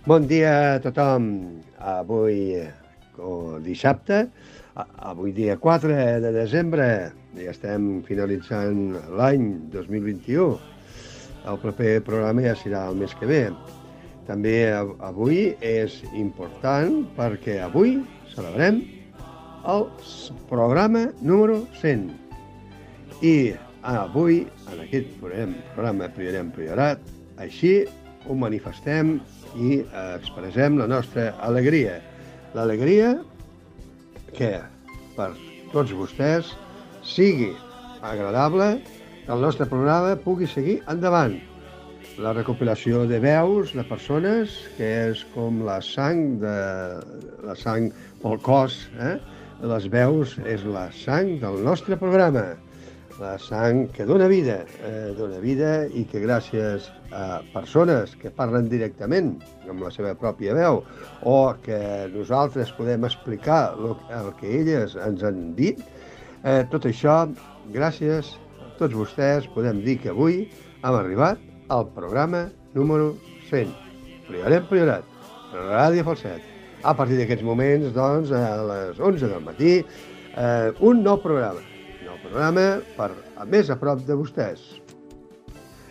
Bon dia a tothom. Avui, dissabte, avui dia 4 de desembre, ja estem finalitzant l'any 2021. El proper programa ja serà el mes que ve. També avui és important perquè avui celebrem el programa número 100. I avui, en aquest programa Priorat, així ho manifestem i expressem la nostra alegria. L'alegria que per tots vostès sigui agradable, que el nostre programa pugui seguir endavant. La recopilació de veus de persones, que és com la sang pel cos. Les veus és la sang del nostre programa. La sang que dona vida i que gràcies a persones que parlen directament amb la seva pròpia veu o que nosaltres podem explicar el que elles ens han dit, tot això, gràcies a tots vostès, podem dir que avui hem arribat al programa número 100. Priorat, Ràdio Falset. A partir d'aquests moments, doncs, a les 11 del matí, un nou programa per més a prop de vostès.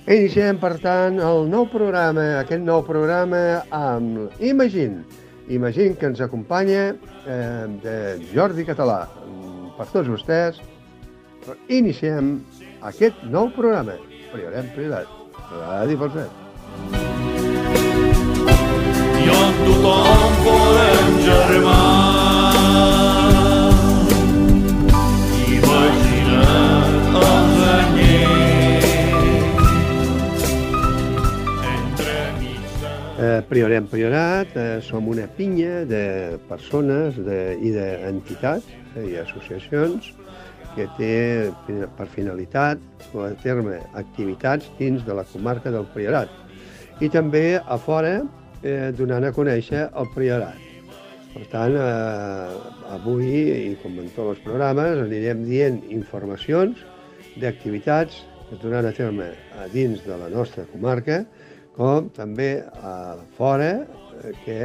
Iniciem, per tant, aquest nou programa amb Imagine que ens acompanya de Jordi Català. Per tots vostès, iniciem aquest nou programa. Priorat, Ràdio Falset. I on tothom volem germà. Priorat, som una pinya de persones i d'entitats i associacions que té per finalitat dur a terme activitats dins de la comarca del Priorat i també a fora donant a conèixer el Priorat. Per tant, avui, i com en tots els programes, anirem dient informacions d'activitats que es donaran a terme a dins de la nostra comarca, com també a fora, que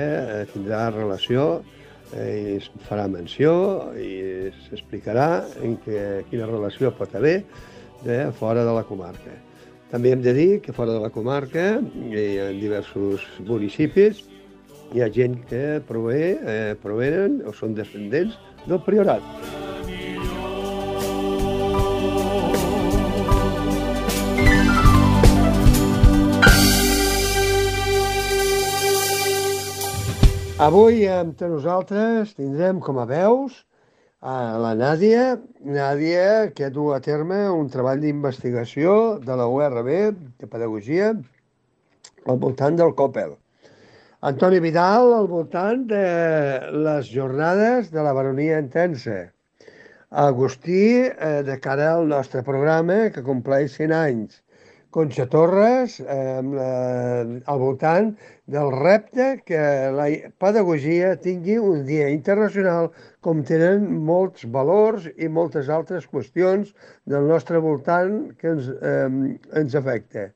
tindrà relació i es farà menció i s'explicarà quina relació pot haver de fora de la comarca. També hem de dir que fora de la comarca hi ha diversos municipis, hi ha gent que provenen o són descendents del Priorat. Avui entre nosaltres tindrem com a veus a la Nàdia, que du a terme un treball d'investigació de la URB de Pedagogia al voltant del Coppel. Antoni Vidal al voltant de les jornades de la baronia intensa. Agustí de cara al nostre programa que compleix 100 anys. Conxa Torres al voltant del repte que la pedagogia tingui un dia internacional com tenen molts valors i moltes altres qüestions del nostre voltant que ens afecta.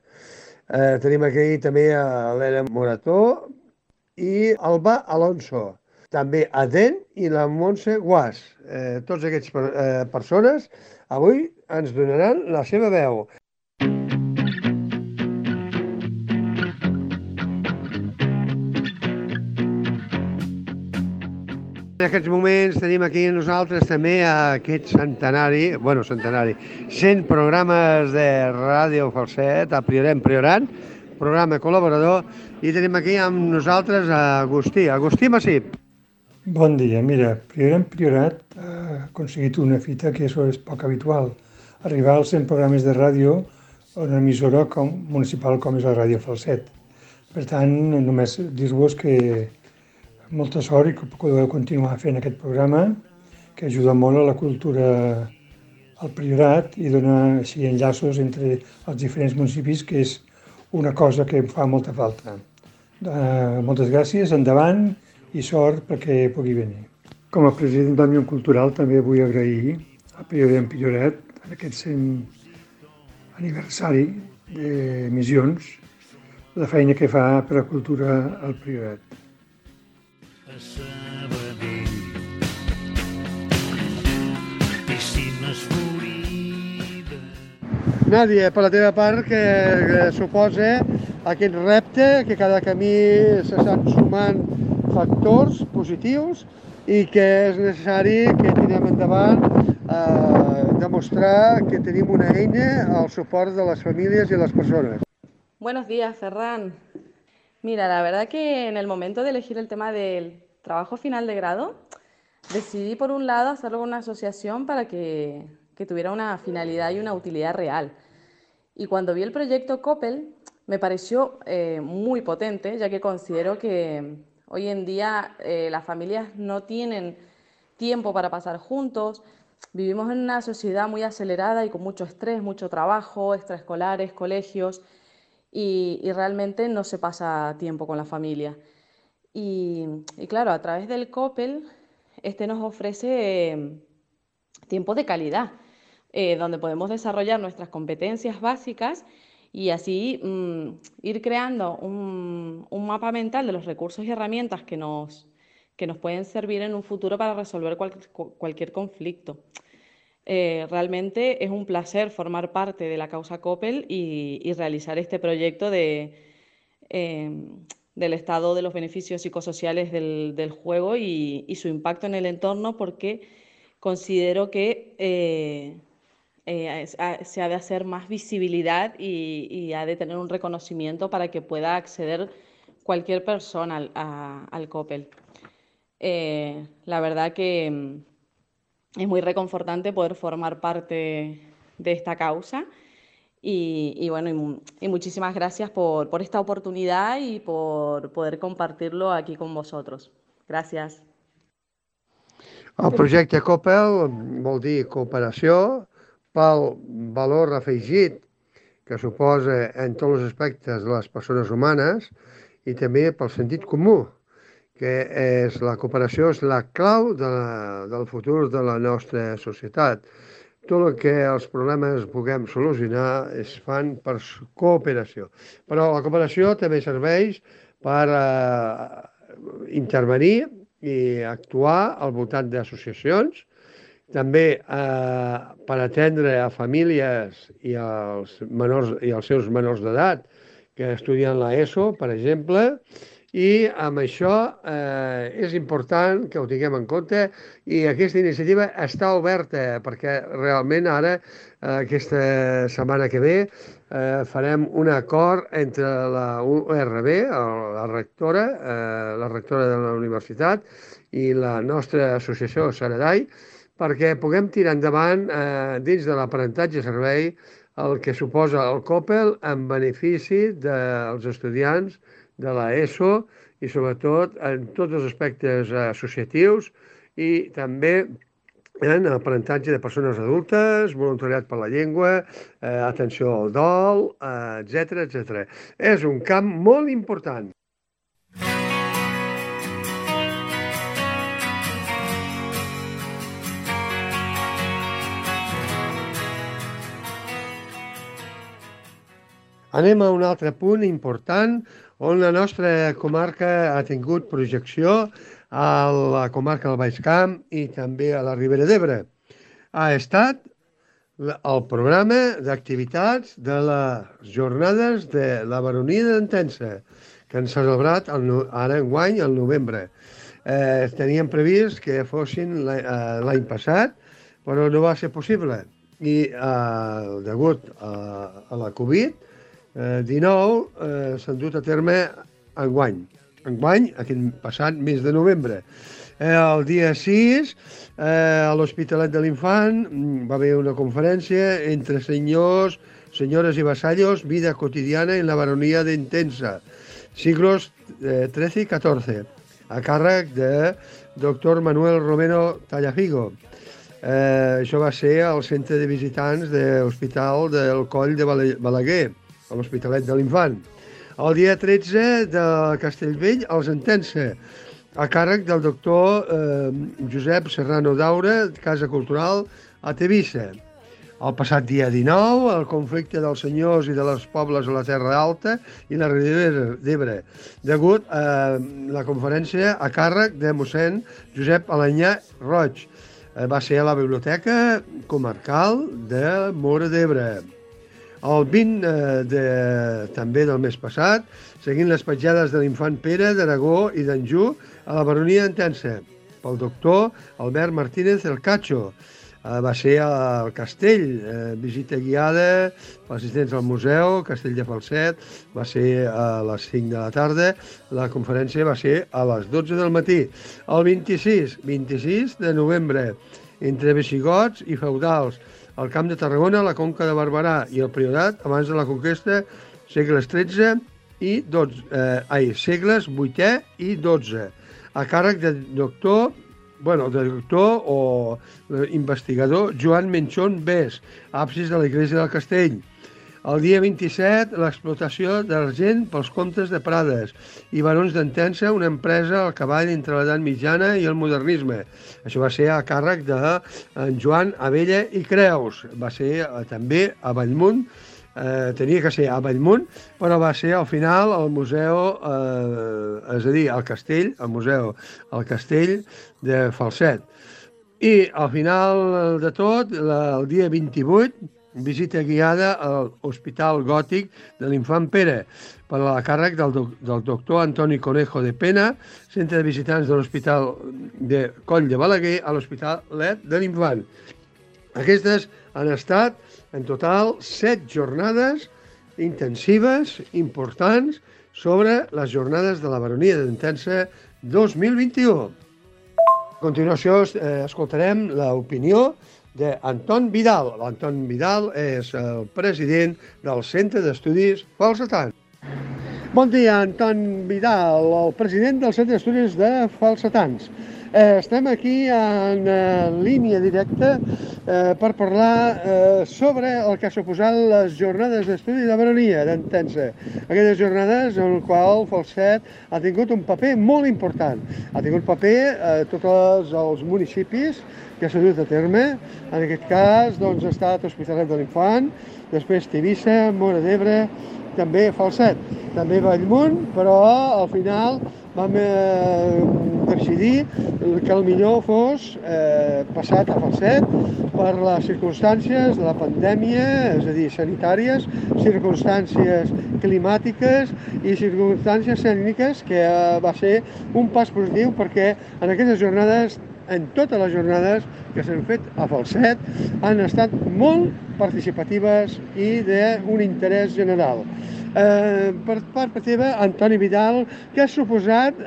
Tenim aquí també a l'Helena Morató i Alba Alonso. També a Den i la Montse Guas. Tots aquests persones avui ens donaran la seva veu. En aquests moments tenim aquí nosaltres també aquest centenari, 100 programes de Ràdio Falset, a Priorat, programa col·laborador, i tenim aquí amb nosaltres Agustí Massip. Bon dia, mira, Priorat ha aconseguit una fita que és poc habitual, arribar als 100 programes de ràdio a una emissora municipal com és la Ràdio Falset. Per tant, només dir-vos que molta sort i que podeu continuar fent aquest programa, que ajuda molt a la cultura al Priorat i dona així enllaços entre els diferents municipis, que és una cosa que em fa molta falta. Moltes gràcies, endavant i sort perquè pugui venir. Com a president d'Òmnium Cultural també vull agrair a Priorat en aquest 100 aniversari d'emissions la feina que fa per a cultura al Priorat. A Sabadell, piscines florides. Nàdia, per la teva part, que suposa aquest repte que cada camí s'estan sumant factors positius i que és necessari que tirem endavant demostrar que tenim una eina al suport de les famílies i les persones. Buenos días, Ferran. Mira, la verdad que en el momento de elegir el tema del trabajo final de grado, decidí por un lado hacerlo con una asociación para que tuviera una finalidad y una utilidad real. Y cuando vi el proyecto Coppel, me pareció muy potente, ya que considero que hoy en día las familias no tienen tiempo para pasar juntos. Vivimos en una sociedad muy acelerada y con mucho estrés, mucho trabajo, extraescolares, colegios, y realmente no se pasa tiempo con la familia. Y claro, a través del Coppel, nos ofrece tiempo de calidad, donde podemos desarrollar nuestras competencias básicas y así ir creando un mapa mental de los recursos y herramientas que nos pueden servir en un futuro para resolver cualquier conflicto. Realmente es un placer formar parte de la causa Coppel y realizar este proyecto del estado de los beneficios psicosociales del juego y su impacto en el entorno, porque considero que se ha de hacer más visibilidad y ha de tener un reconocimiento para que pueda acceder cualquier persona al Coppel. La verdad que es muy reconfortante poder formar parte de esta causa y muchísimas gracias por esta oportunidad y por poder compartirlo aquí con vosotros. Gràcies. El projecte Coppel vol dir cooperació pel valor afegit que suposa en tots els aspectes de les persones humanes i també pel sentit comú, que és la cooperació és la clau del futur de la nostra societat. Tot el que els problemes puguem solucionar es fan per cooperació. Però la cooperació també serveix per intervenir i actuar al voltant d'associacions, també per atendre a famílies i als seus menors d'edat que estudien l'ESO, per exemple, i amb això és important que ho tinguem en compte i aquesta iniciativa està oberta perquè realment ara, aquesta setmana que ve, farem un acord entre la URB, la rectora de la universitat, i la nostra associació Saradai, perquè puguem tirar endavant dins de l'aprenentatge servei el que suposa el Coppel en benefici dels estudiants de l'ESO i sobretot en tots els aspectes associatius i també en aprenentatge de persones adultes, voluntariat per la llengua, atenció al dol, etc. És un camp molt important. Anem a un altre punt important on la nostra comarca ha tingut projecció a la comarca del Baix Camp i també a la Ribera d'Ebre. Ha estat el programa d'activitats de les jornades de la baronia d'Entença, que han celebrat ara enguany, al novembre. Teníem previst que fossin l'any passat, però no va ser possible. I degut a la Covid, 19 s'han dut a terme enguany, aquest passat mes de novembre. El dia 6, a l'Hospitalet de l'Infant, va haver una conferència entre senyors, senyores i vassallos, vida cotidiana en la baronia d'Entença, siglos XIII i XIV, a càrrec de doctor Manuel Romero Tallafigo. Això va ser al centre de visitants de l'Hospital del Coll de Balaguer, a l'Hospitalet de l'Infant. El dia 13 de Castellvell, als Entença, a càrrec del doctor Josep Serrano Daura, Casa Cultural a Tevissa. El passat dia 19, el conflicte dels senyors i de les pobles a la Terra Alta i la Ribera d'Ebre, degut a la conferència a càrrec de mossèn Josep Alanyà Roig. Va ser a la Biblioteca Comarcal de Móra d'Ebre. El 20 també del mes passat, seguint les petjades de l'infant Pere d'Aragó i d'Anjou a la baronia d'Entença, pel doctor Albert Martínez El Cacho. Va ser al Castell, visita guiada per assistents al museu, Castell de Falset, va ser a les 5 de la tarda, la conferència va ser a les 12 del matí. El 26 de novembre, entre visigots i feudals, al Camp de Tarragona, la Conca de Barberà i el Priorat, abans de la conquesta, segles XIII i segles VIII i XII, a càrrec del doctor o investigador Joan Menchón Bes, absis de l'Església del Castell. El dia 27, l'explotació d'argent pels comtes de Prades i barons d'Entença, una empresa al cavall entre l'edat mitjana i el modernisme. Això va ser a càrrec de Joan Abella i Creus. Va ser també a Bellmunt, tenia que ser a Bellmunt, però va ser al final al museu, és a dir, al castell, al museu, al castell de Falset. I al final de tot, el dia 28, visita guiada a l'Hospital Gòtic de l'Infant Pere, per a càrrec del doctor Antoni Conejo de Pena, centre de visitants de l'Hospital de Coll de Balaguer a l'Hospitalet de l'Infant. Aquestes han estat, en total, 7 jornades intensives, importants, sobre les jornades de la baronia d'Entença 2021. A continuació, escoltarem l'opinió d'Anton Vidal. L'Anton Vidal és el president del Centre d'Estudis Falsetans. Bon dia, Anton Vidal, el president del Centre d'Estudis de Falsetans. Estem aquí en línia directa per parlar sobre el que ha suposat les jornades d'estudi de baronia d'Entença. Aquestes jornades en les quals Falset ha tingut un paper molt important. Ha tingut paper a tots els municipis que s'ha dut a terme. En aquest cas doncs, ha estat Hospitalet de l'Infant, després Tivissa, Móra d'Ebre, també Falset, també Bellmunt, però al final vam decidir que el millor fos passat a Falset per les circumstàncies de la pandèmia, és a dir, sanitàries, circumstàncies climàtiques i circumstàncies tècniques, que va ser un pas positiu perquè en aquestes jornades, en totes les jornades que s'han fet a Falset, han estat molt participatives i d'un interès general. Per part teva, Antoni Vidal, què ha suposat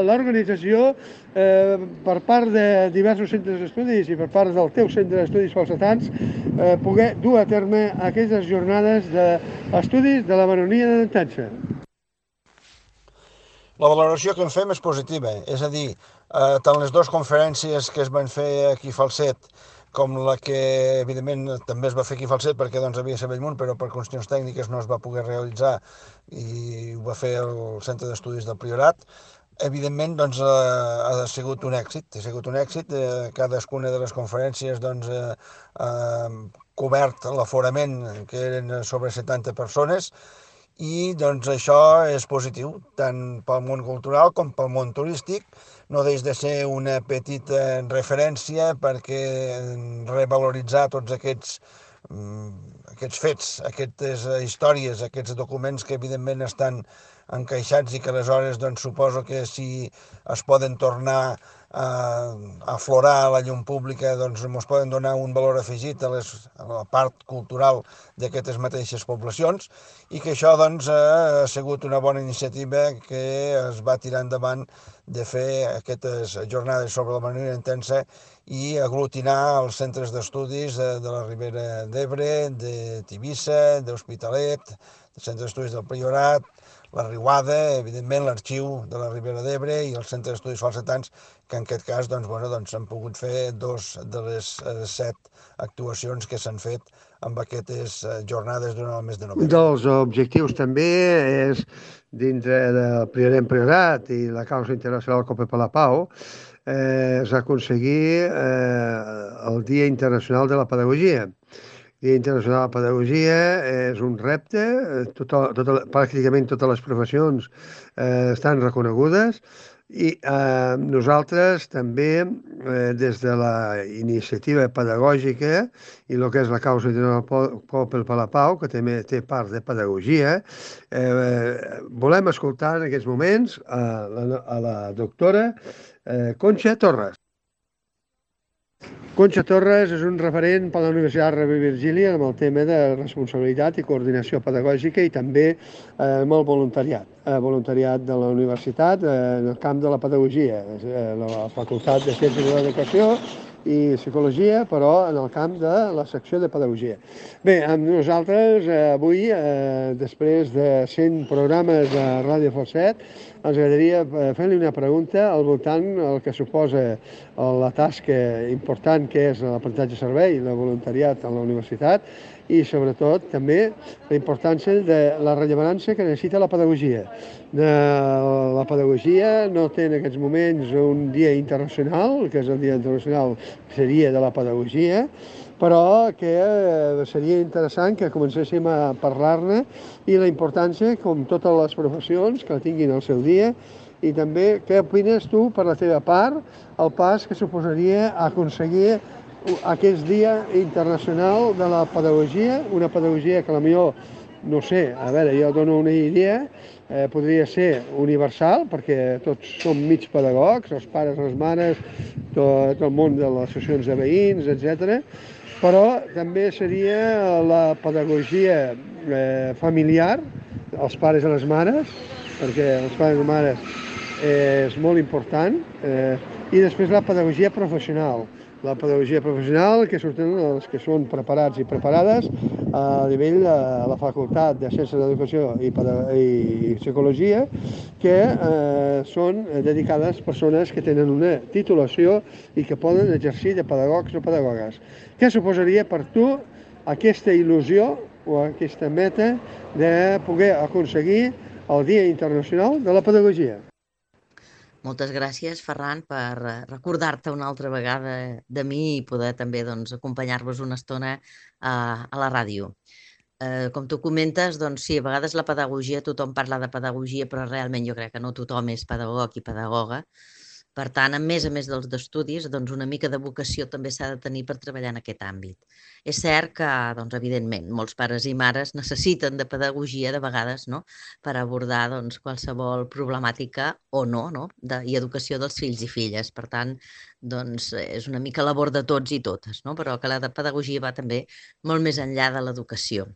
l'organització per part de diversos centres d'estudis i per part del teu centre d'estudis falsetans poder dur a terme aquestes jornades d'estudis de la baronia d'Entença? La valoració que en fem és positiva, és a dir, tant les dues conferències que es van fer aquí a Falset com la que, evidentment, també es va fer aquí a Falset perquè doncs, havia de ser Bellmunt, però per qüestions tècniques no es va poder realitzar i ho va fer el Centre d'Estudis del Priorat. Evidentment, doncs, ha sigut un èxit. Ha sigut un èxit. Cadascuna de les conferències doncs, ha cobert l'aforament, que eren sobre 70 persones, i doncs, això és positiu, tant pel món cultural com pel món turístic. No deix de ser una petita referència perquè revaloritzar tots aquests fets, aquestes històries, aquests documents que evidentment estan encaixats i que aleshores doncs, suposo que si es poden tornar a aflorar a la llum pública doncs ens poden donar un valor afegit a la part cultural d'aquestes mateixes poblacions i que això doncs, ha sigut una bona iniciativa que es va tirar endavant de fer aquestes jornades sobre la baronia d'Entença i aglutinar els centres d'estudis de la Ribera d'Ebre, de Tivissa, d'Hospitalet, del Centre d'Estudis del Priorat, la Riuada, evidentment l'Arxiu de la Ribera d'Ebre i el Centre d'Estudis Falsetans, que en aquest cas doncs, han pogut fer 2 de les 7 actuacions que s'han fet amb aquestes jornades durant el mes de novembre. Dels objectius també és, dintre del Priorat i la causa internacional Copa per la Pau, és aconseguir el Dia Internacional de la Pedagogia, Dia Internacional de Pedagogia és un repte, pràcticament totes les professions estan reconegudes i nosaltres també, des de la iniciativa pedagògica i el que és la causa del Poble per la Pau, que també té part de pedagogia, volem escoltar en aquests moments a la doctora Conxa Torres. Conxa Torres és un referent per a la Universitat Rovira i Virgili amb el tema de responsabilitat i coordinació pedagògica i també molt voluntariat. Voluntariat de la universitat en el camp de la pedagogia, la Facultat de Ciències de l'Educació i Psicologia, però en el camp de la secció de pedagogia. Bé, amb nosaltres avui, després de 100 programes de Ràdio Falset, ens agradaria fer-li una pregunta al voltant del que suposa la tasca important que és l'aprenentatge servei, la voluntariat a la universitat i sobretot també la importància de la rellevància que necessita la pedagogia. La pedagogia no té en aquests moments un dia internacional, que és el Dia Internacional seria de la pedagogia, però que seria interessant que comencéssim a parlar-ne i la importància, com totes les professions, que tinguin el seu dia, i també què opines tu, per la teva part, el pas que suposaria aconseguir aquest dia internacional de la pedagogia, una pedagogia que potser, no sé, a veure, jo dono una idea, podria ser universal, perquè tots som mig pedagogs, els pares, les mares, tot el món de les associacions de veïns, etc. Però també seria la pedagogia familiar, els pares i les mares, perquè els pares i les mares és molt important, i després la pedagogia professional. La pedagogia professional, que surten els que són preparats i preparades a nivell de la Facultat de Ciències de l'Educació i Psicologia, que són dedicades a persones que tenen una titulació i que poden exercir de pedagogs o pedagogues. Què suposaria per tu aquesta il·lusió o aquesta meta de poder aconseguir el Dia Internacional de la Pedagogia? Moltes gràcies, Ferran, per recordar-te una altra vegada de mi i poder també acompanyar-vos una estona a la ràdio. Com tu comentes, doncs sí, a vegades la pedagogia, tothom parla de pedagogia, però realment jo crec que no tothom és pedagog i pedagoga. Per tant, a més dels d'estudis, doncs una mica de vocació també s'ha de tenir per treballar en aquest àmbit. És cert que, doncs, evidentment, molts pares i mares necessiten de pedagogia de vegades, no?, per abordar qualsevol problemàtica o no, i educació dels fills i filles. Per tant, doncs, és una mica labor de tots i totes, no?, però que la pedagogia va també molt més enllà de l'educació.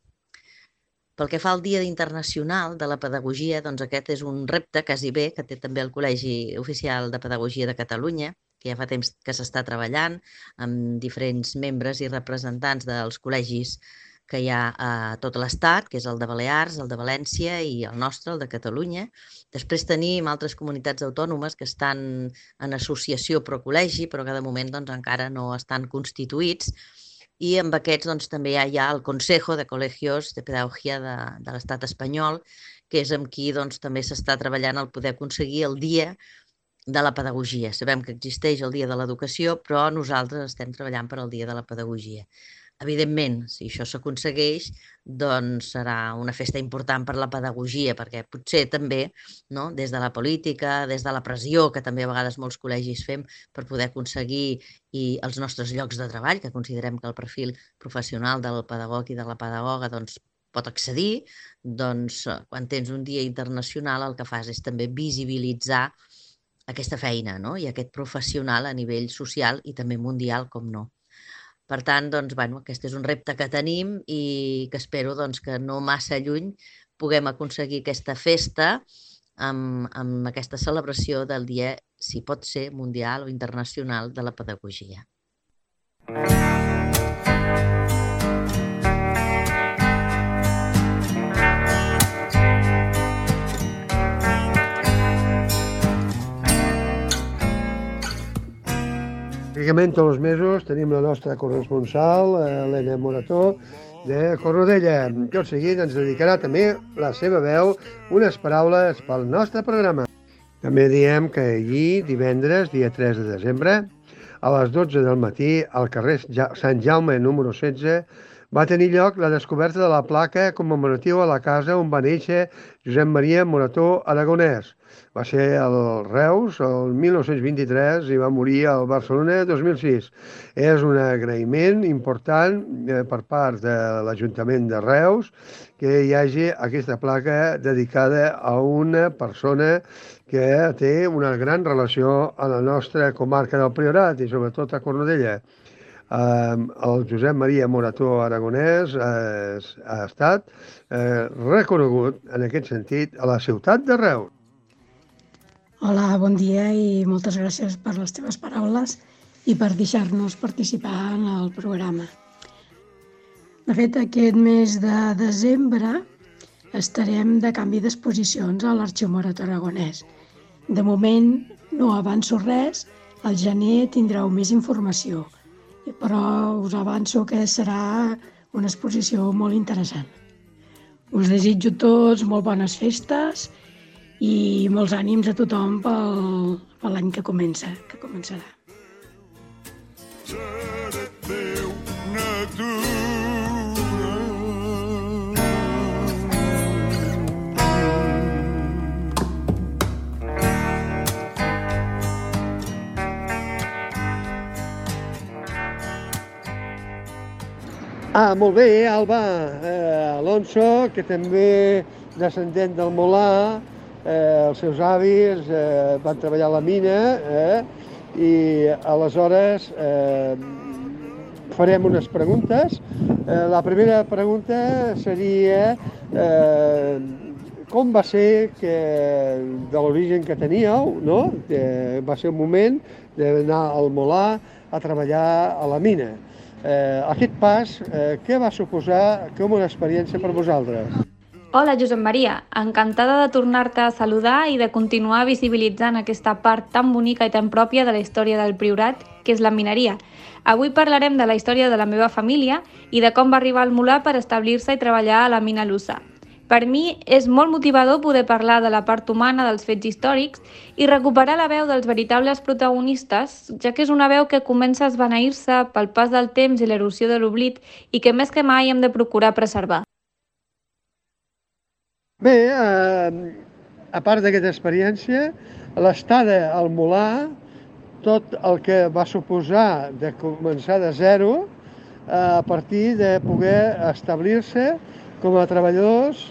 Pel que fa al Dia Internacional de la Pedagogia, doncs aquest és un repte quasi bé que té també el Col·legi Oficial de Pedagogia de Catalunya, que ja fa temps que s'està treballant amb diferents membres i representants dels col·legis que hi ha a tot l'Estat, que és el de Balears, el de València i el nostre, el de Catalunya. Després tenim altres comunitats autònomes que estan en associació pro-col·legi, però que de moment encara no estan constituïts. I amb aquests també hi ha el Consejo de Colegios de Pedagogia de l'Estat espanyol, que és amb qui també s'està treballant el poder aconseguir el Dia de la Pedagogia. Sabem que existeix el Dia de l'Educació, però nosaltres estem treballant per al Dia de la Pedagogia. Evidentment, si això s'aconsegueix, doncs serà una festa important per la pedagogia, perquè potser també, des de la política, des de la pressió, que també a vegades molts col·legis fem per poder aconseguir els nostres llocs de treball, que considerem que el perfil professional del pedagog i de la pedagoga pot accedir, doncs quan tens un dia internacional el que fas és també visibilitzar aquesta feina i aquest professional a nivell social i també mundial, com no. Per tant, aquest és un repte que tenim i que espero que no massa lluny puguem aconseguir aquesta festa amb aquesta celebració del dia, si pot ser, mundial o internacional de la pedagogia. Pràcticament tots els mesos tenim la nostra corresponsal, Helena Morató, de Cornudella. Tot seguit ens dedicarà també la seva veu unes paraules pel nostre programa. També diem que ahir, divendres, dia 3 de desembre, a les 12 del matí, al carrer Sant Jaume número 16, va tenir lloc la descoberta de la placa commemorativa a la casa on va néixer Josep Maria Morató Aragonès. Va ser al Reus el 1923 i va morir al Barcelona el 2006. És un agraïment important per part de l'Ajuntament de Reus que hi hagi aquesta placa dedicada a una persona que té una gran relació a la nostra comarca del Priorat i sobretot a Cornudella. El Josep Maria Morató Aragonès ha estat reconegut en aquest sentit a la ciutat de Reus. Hola, bon dia i moltes gràcies per les teves paraules i per deixar-nos participar en el programa. De fet, aquest mes de desembre estarem de canvi d'exposicions a l'Arxiu Morató Aragonès. De moment no avanço res, al gener tindreu més informació, però us avanço que serà una exposició molt interessant. Us desitjo tots molt bones festes i molts ànims a tothom per l'any que començarà. Molt bé, Alba. Alonso, que també descendent del Molà, els seus avis van treballar a la mina i aleshores farem unes preguntes. La primera pregunta seria com va ser que, de l'origen que teníeu, no? Va ser un moment d'anar al Molà a treballar a la mina. Aquest pas, què va suposar com una experiència per vosaltres? Hola, Josep Maria. Encantada de tornar-te a saludar i de continuar visibilitzant aquesta part tan bonica i tan pròpia de la història del Priorat, que és la mineria. Avui parlarem de la història de la meva família i de com va arribar al Molà per establir-se i treballar a la mina Lussa. Per mi és molt motivador poder parlar de la part humana dels fets històrics i recuperar la veu dels veritables protagonistes, ja que és una veu que comença a esvaneir-se pel pas del temps i l'erosió de l'oblit i que més que mai hem de procurar preservar. Bé, a part d'aquesta experiència, l'estada al Molà, tot el que va suposar de començar de zero a partir de poder establir-se com a treballadors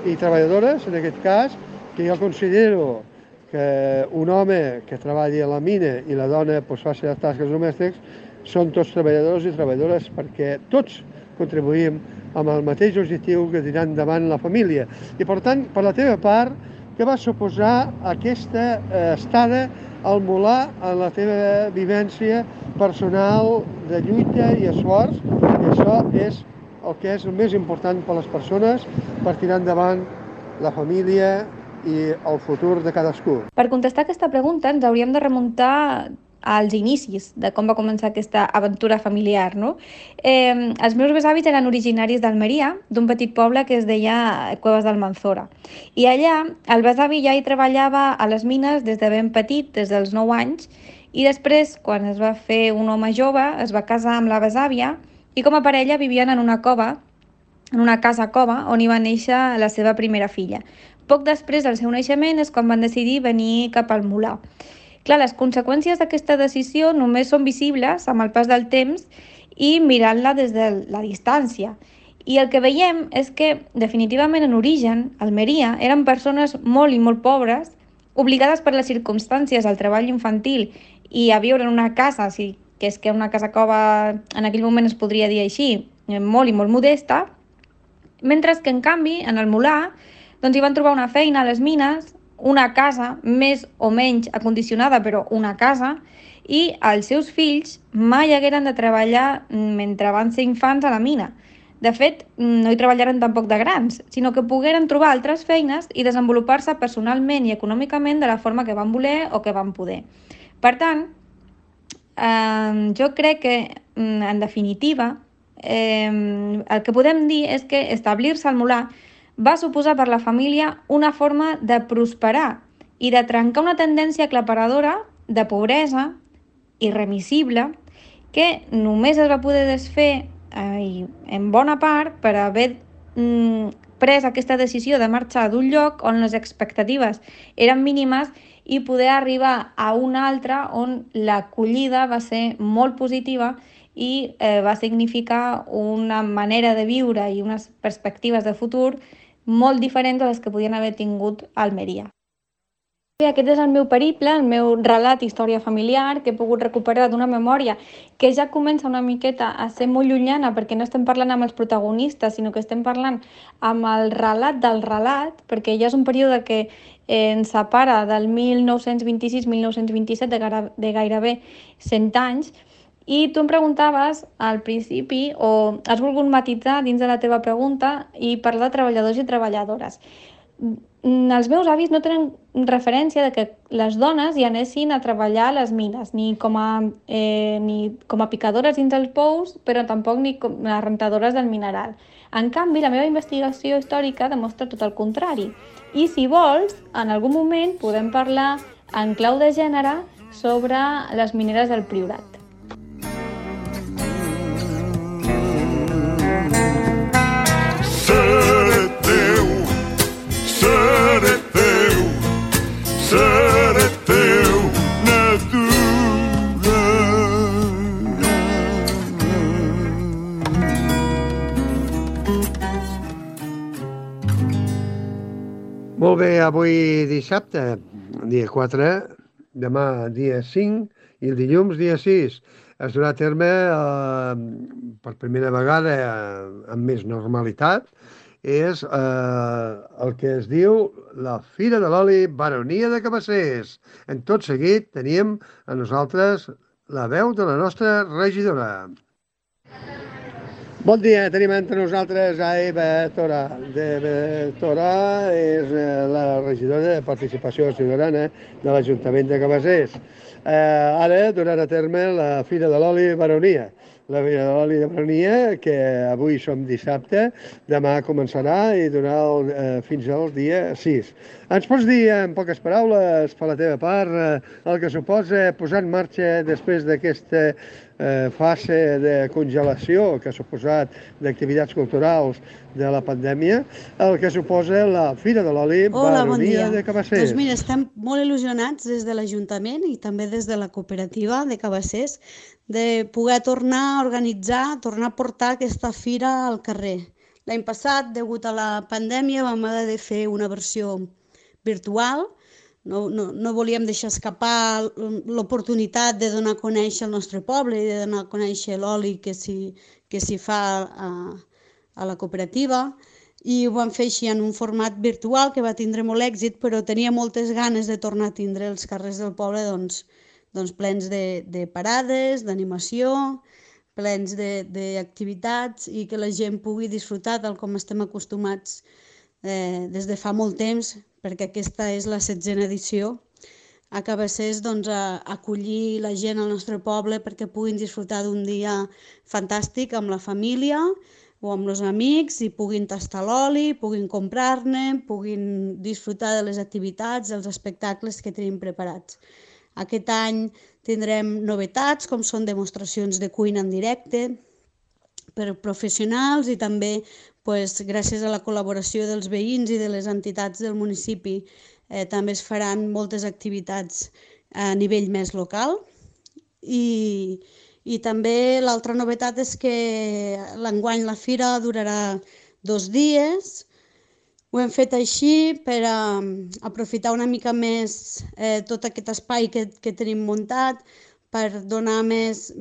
i treballadores, en aquest cas, que jo considero que un home que treballi a la mina i la dona faci les tasques domèstiques són tots treballadors i treballadores perquè tots contribuïm amb el mateix objectiu que tirar endavant la família. I per tant, per la teva part, què va suposar aquesta estada al Molà en la teva vivència personal de lluita i esforç? I això és el que és el més important per a les persones per tirar endavant la família i el futur de cadascú. Per contestar aquesta pregunta ens hauríem de remuntar als inicis de com va començar aquesta aventura familiar, no? Els meus besavis eren originaris d'Almeria, d'un petit poble que es deia Cuevas d'Almanzora. I allà el besavi ja hi treballava a les mines des de ben petit, des dels 9 anys, i després, quan es va fer un home jove, es va casar amb la besàvia i com a parella vivien en una cova, en una casa cova, on hi va néixer la seva primera filla. Poc després del seu naixement és quan van decidir venir cap al Molà. Clar, les conseqüències d'aquesta decisió només són visibles amb el pas del temps i mirant-la des de la distància. I el que veiem és que, definitivament, en origen, Almeria eren persones molt i molt pobres, obligades per les circumstàncies al treball infantil i a viure en una casa, que és que una casa cova en aquell moment es podria dir així, molt i molt modesta, mentre que, en canvi, en el Molà, doncs hi van trobar una feina a les mines, una casa més o menys acondicionada, però una casa, i els seus fills mai hagueren de treballar mentre van ser infants a la mina. De fet, no hi treballaren tampoc de grans, sinó que pogueren trobar altres feines i desenvolupar-se personalment i econòmicament de la forma que van voler o que van poder. Per tant, jo crec que, en definitiva, el que podem dir és que establir-se al Molà va suposar per la família una forma de prosperar i de trencar una tendència aclaparadora de pobresa irremissible que només es va poder desfer i en bona part per haver pres aquesta decisió de marxar d'un lloc on les expectatives eren mínimes i poder arribar a un altre on l'acollida va ser molt positiva i va significar una manera de viure i unes perspectives de futur molt diferents a les que podien haver tingut a Almeria. Bé, aquest és el meu periple, el meu relat història familiar que he pogut recuperar d'una memòria que ja comença una miqueta a ser molt llunyana perquè no estem parlant amb els protagonistes, sinó que estem parlant amb el relat del relat, perquè ja és un període que ens separa del 1926-1927 de gairebé 100 anys. I tu em preguntaves al principi, o has volgut matitzar dins de la teva pregunta, i parlar de treballadors i treballadores. Els meus avis no tenen referència de que les dones hi anessin a treballar a les mines, ni com a picadores dins els pous, però tampoc ni com a rentadores del mineral. En canvi, la meva investigació històrica demostra tot el contrari. I si vols, en algun moment podem parlar en clau de gènere sobre les mineres del Priorat. Seré teu Molt bé, avui dissabte, dia 4, demà dia 5 i el dilluns dia 6. Es durà a terme per primera vegada amb més normalitat és el que es diu la Fira de l'Oli Baronia de Cabassers. En tot seguit teníem a nosaltres la veu de la nostra regidora. Bon dia, tenim entre nosaltres a Eva Tora. Eva Tora és la regidora de Participació Ciutadana de l'Ajuntament de Cabassers. Ara durant a terme la Fira de l'Oli Baronia. La Fira de l'Oli de Baronia, que avui som dissabte, demà començarà i durarà fins al dia 6. Ens pots dir, en poques paraules, per la teva part, el que suposa posar en marxa després d'aquesta fase de congelació que ha suposat d'activitats culturals de la pandèmia, el que suposa la Fira de l'Oli Baronia de Cabassers. Doncs mira, estem molt il·lusionats des de l'Ajuntament i també des de la cooperativa de Cabassers de poder tornar a organitzar, tornar a portar aquesta fira al carrer. L'any passat, degut a la pandèmia, vam haver de fer una versió virtual. No volíem deixar escapar l'oportunitat de donar a conèixer el nostre poble i de donar a conèixer l'oli que s'hi fa a la cooperativa, i ho vam fer així en un format virtual que va tindre molt èxit, però tenia moltes ganes de tornar a tindre els carrers del poble plens de parades, d'animació, plens d'activitats i que la gent pugui disfrutar tal com estem acostumats des de fa molt temps, perquè aquesta és la 7a edició a Cabassers, a acollir la gent al nostre poble perquè puguin disfrutar d'un dia fantàstic amb la família o amb els amics i puguin tastar l'oli, puguin comprar-ne, puguin disfrutar de les activitats, dels espectacles que tenim preparats. Aquest any tindrem novetats, com són demostracions de cuina en directe per professionals i també gràcies a la col·laboració dels veïns i de les entitats del municipi també es faran moltes activitats a nivell més local. I també l'altra novetat és que l'enguany la fira durarà 2 dies. Ho hem fet així per aprofitar una mica més tot aquest espai que tenim muntat, per donar més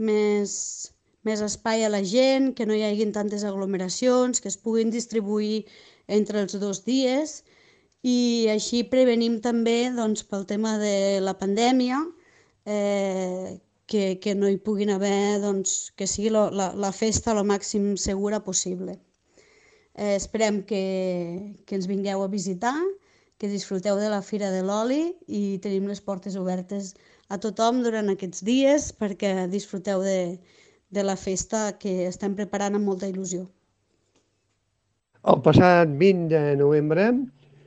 espai a la gent, que no hi hagi tantes aglomeracions, que es puguin distribuir entre els 2 dies, i així prevenim també pel tema de la pandèmia que no hi puguin haver, que sigui la festa el màxim segura possible. Esperem que ens vingueu a visitar, que disfruteu de la Fira de l'Oli i tenim les portes obertes a tothom durant aquests dies perquè disfruteu de la festa que estem preparant amb molta il·lusió. El passat 20 de novembre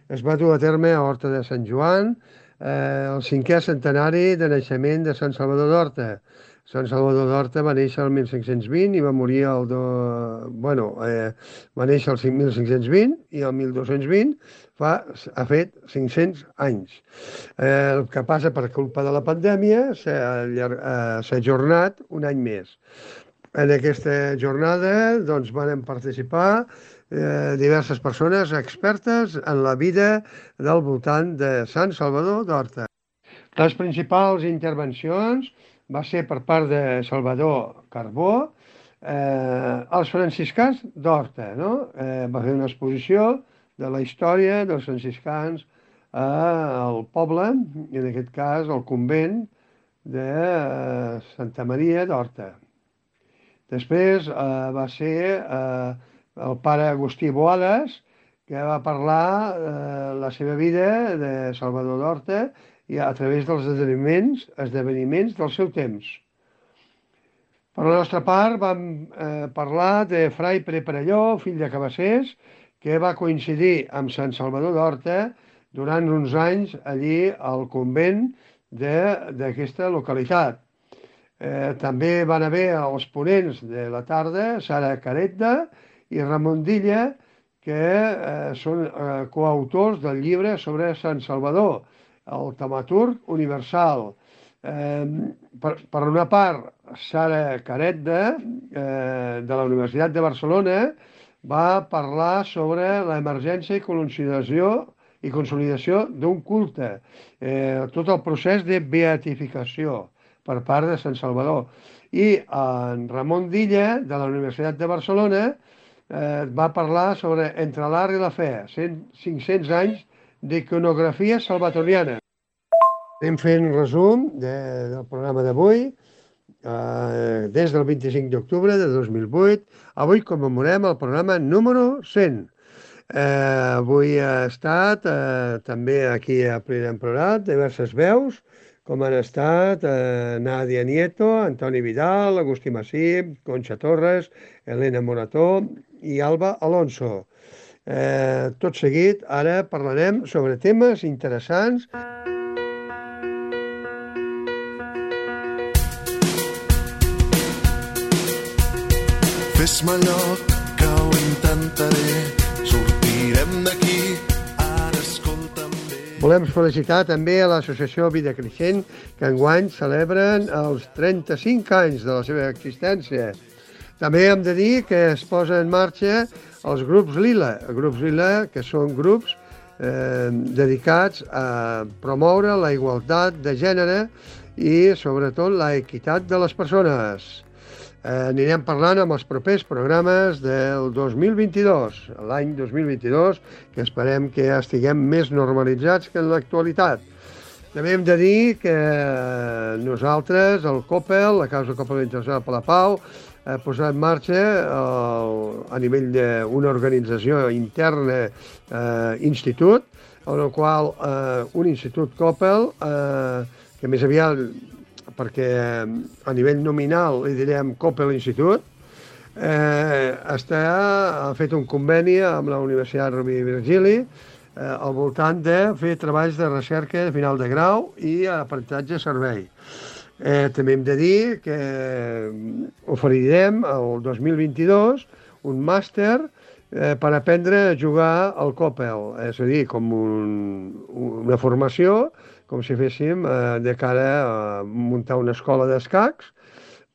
es va dur a terme a Horta de Sant Joan el 5è centenari de naixement de Sant Salvador d'Horta. Sant Salvador d'Horta va néixer el 1520 i va morir va néixer el 1520 i el 1220 ha fet 500 anys. El que passa per culpa de la pandèmia s'ha ajornat un any més. En aquesta jornada doncs, van participar diverses persones expertes en la vida del voltant de Sant Salvador d'Horta. Les principals intervencions va ser per part de Salvador Carbó, els franciscans d'Horta, no? Va fer una exposició de la història dels franciscans al poble, en aquest cas al convent de Santa Maria d'Horta. Després va ser el pare Agustí Boades, que va parlar la seva vida de Salvador d'Horta i a través dels esdeveniments del seu temps. Per la nostra part vam parlar de Frai Pere Perelló, fill de Cabassers, que va coincidir amb Sant Salvador d'Horta durant uns anys allí al convent d'aquesta localitat. També van haver els ponents de la tarda, Sara Caretda i Ramon Dilla, que són coautors del llibre sobre Sant Salvador, el Taumaturg Universal. Per una part, Sara Caretda, de la Universitat de Barcelona, va parlar sobre l'emergència i consolidació d'un culte, tot el procés de beatificació per part de Sant Salvador. I en Ramon Dilla, de la Universitat de Barcelona, va parlar sobre Entre l'art i la fe, 500 anys d'iconografia salvatoriana. Anem fent resum del programa d'avui, des del 25 d'octubre de 2008. Avui commemorem el programa número 100. Avui ha estat també aquí a Plena Emplorat diverses veus, com han estat Nadia Nieto, Antoni Vidal, Agustí Massip, Conxa Torres, Elena Morató i Alba Alonso. Tot seguit, ara parlarem sobre temes interessants. Fes-me lloc, que ho intentaré, sortirem d'aquí, ara escolta'm bé. Volem felicitar també a l'associació Vida Creixent, que enguany celebren els 35 anys de la seva existència. També hem de dir que es posa en marxa els grups Lila, que són grups dedicats a promoure la igualtat de gènere i, sobretot, la equitat de les persones. Anirem parlant amb els propers programes del 2022, l'any 2022, que esperem que ja estiguem més normalitzats que en l'actualitat. També hem de dir que nosaltres, el COPEL, la Causa Coppel Internacional per la Pau, ha posat en marxa a nivell d'una organització interna institut, en el qual un institut COPEL, que més aviat, perquè a nivell nominal li direm COPEL Institut, ha fet un conveni amb la Universitat Rovira i Virgili al voltant de fer treballs de recerca de final de grau i aprenentatge servei. També hem de dir que oferirem el 2022 un màster per aprendre a jugar al COPEL, és a dir, com una formació, com si féssim de cara a muntar una escola d'escacs.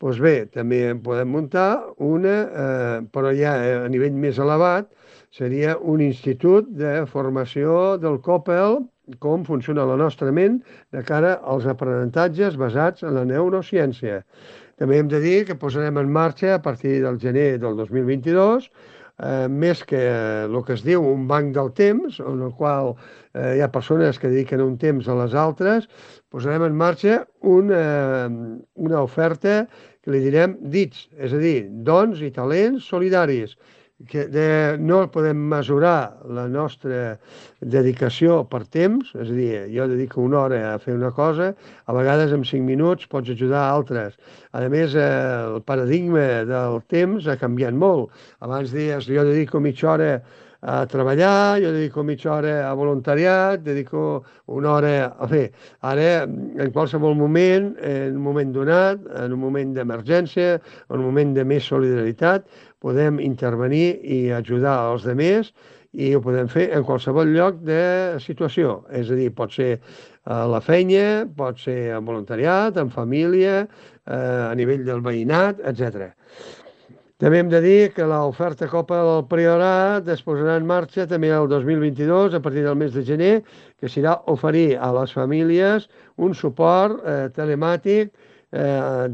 Doncs bé, també podem muntar una, però ja a nivell més elevat, seria un institut de formació del COPEL, com funciona la nostra ment de cara als aprenentatges basats en la neurociència. També hem de dir que posarem en marxa a partir del gener del 2022 més que el que es diu un banc del temps, en el qual hi ha persones que dediquen un temps a les altres, posarem en marxa una oferta que li direm DITS, és a dir, dons i talents solidaris, que no podem mesurar la nostra dedicació per temps, és a dir, jo dedico una hora a fer una cosa, a vegades en 5 minuts pots ajudar a altres. A més, el paradigma del temps ha canviat molt. Abans deies, jo dedico mitja hora a treballar, jo dedico mitja hora a voluntariat, dedico una hora a fer. Ara, en qualsevol moment, en un moment donat, en un moment d'emergència, en un moment de més solidaritat, podem intervenir i ajudar els altres i ho podem fer en qualsevol lloc de situació. És a dir, pot ser a la feina, pot ser en voluntariat, en família, a nivell del veïnat, etc. També hem de dir que l'oferta Copa del Priorat es posarà en marxa també el 2022, a partir del mes de gener, que serà oferir a les famílies un suport telemàtic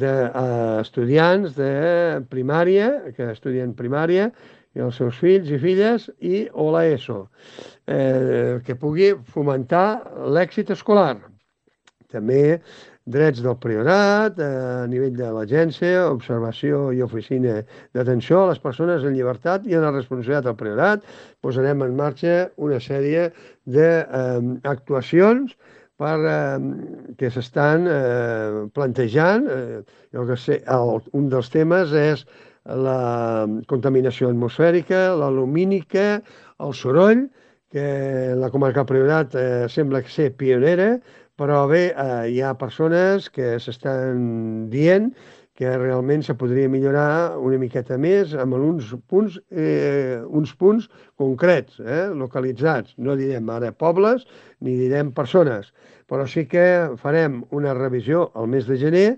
d'estudiants de primària, que estudien primària, i els seus fills i filles, o l'ESO, que pugui fomentar l'èxit escolar. També drets del Priorat, a nivell de l'agència, observació i oficina d'atenció a les persones en llibertat i en la responsabilitat del Priorat. Posarem en marxa una sèrie d'actuacions que s'estan plantejant. Un dels temes és la contaminació atmosfèrica, la lumínica, el soroll, que la comarca del Priorat sembla ser pionera, però bé, hi ha persones que s'estan dient que realment se podria millorar una miqueta més amb uns punts concrets, localitzats. No direm ara pobles ni direm persones, però sí que farem una revisió al mes de gener,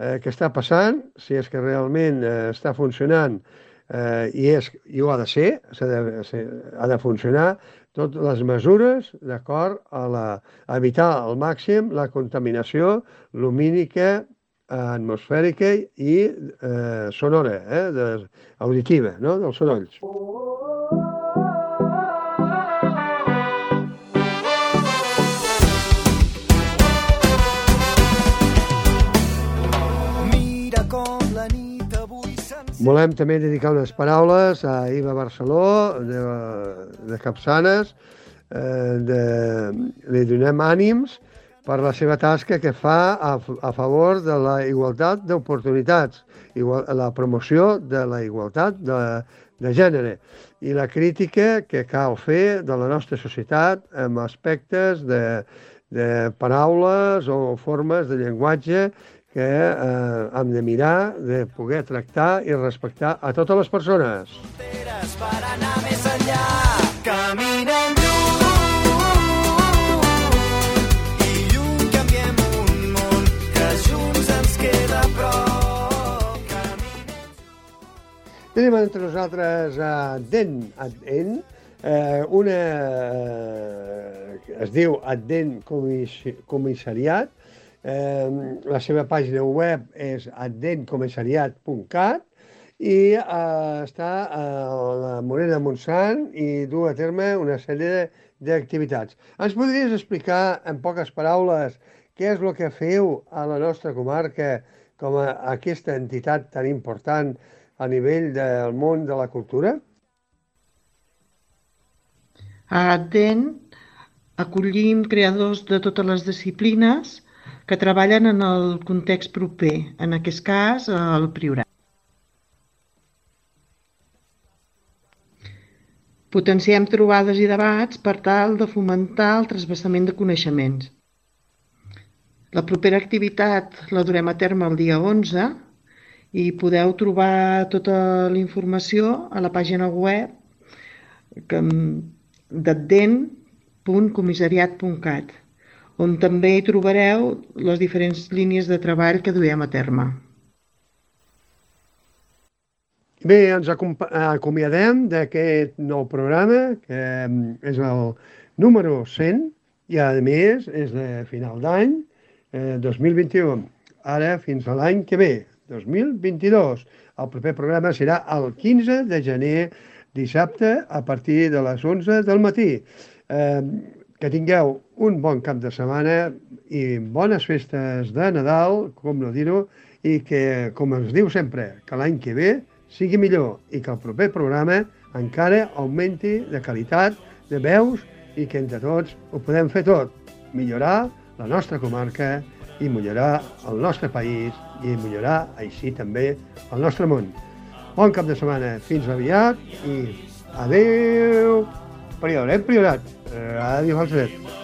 què està passant, si és que realment està funcionant i ho ha de ser, ha de funcionar, totes les mesures d'acord a evitar al màxim la contaminació lumínica, atmosfèrica i sonora, auditiva, dels sorolls. Volem també dedicar unes paraules a Iva Barceló, de Capçanes. Li donem ànims per la seva tasca que fa a favor de la igualtat d'oportunitats, la promoció de la igualtat de gènere i la crítica que cal fer de la nostra societat amb aspectes de paraules o formes de llenguatge que hem de mirar, de poder tractar i respectar a totes les persones. Per anar més enllà, caminem lluny i lluny canviem un món que junts ens queda prop. Tenim entre nosaltres Adden, es diu Adden Comissariat. La seva pàgina web és addencomissariat.cat i està a la Morera de Montsant i du a terme una sèrie d'activitats. Ens podries explicar en poques paraules què és el que feu a la nostra comarca com a aquesta entitat tan important a nivell del món de la cultura? A Adden acollim creadors de totes les disciplines que treballen en el context proper, en aquest cas el Priorat. Potenciem trobades i debats per tal de fomentar el trasbassament de coneixements. La propera activitat la durem a terme el dia 11 i podeu trobar tota la informació a la pàgina web d'adden.comissariat.cat, on també hi trobareu les diferents línies de treball que duem a terme. Bé, ens acomiadem d'aquest nou programa, que és el número 100, i a més és de final d'any 2021. Ara fins a l'any que ve, 2022. El proper programa serà el 15 de gener, dissabte, a partir de les 11 del matí. Que tingueu un bon cap de setmana i bones festes de Nadal, com no dir-ho, i que, com es diu sempre, que l'any que ve sigui millor i que el proper programa encara augmenti de qualitat, de veus i que entre tots ho podem fer tot. Millorar la nostra comarca i millorar el nostre país i millorar així també el nostre món. Bon cap de setmana, fins aviat i Adéu. Priorat, Ràdio Falset.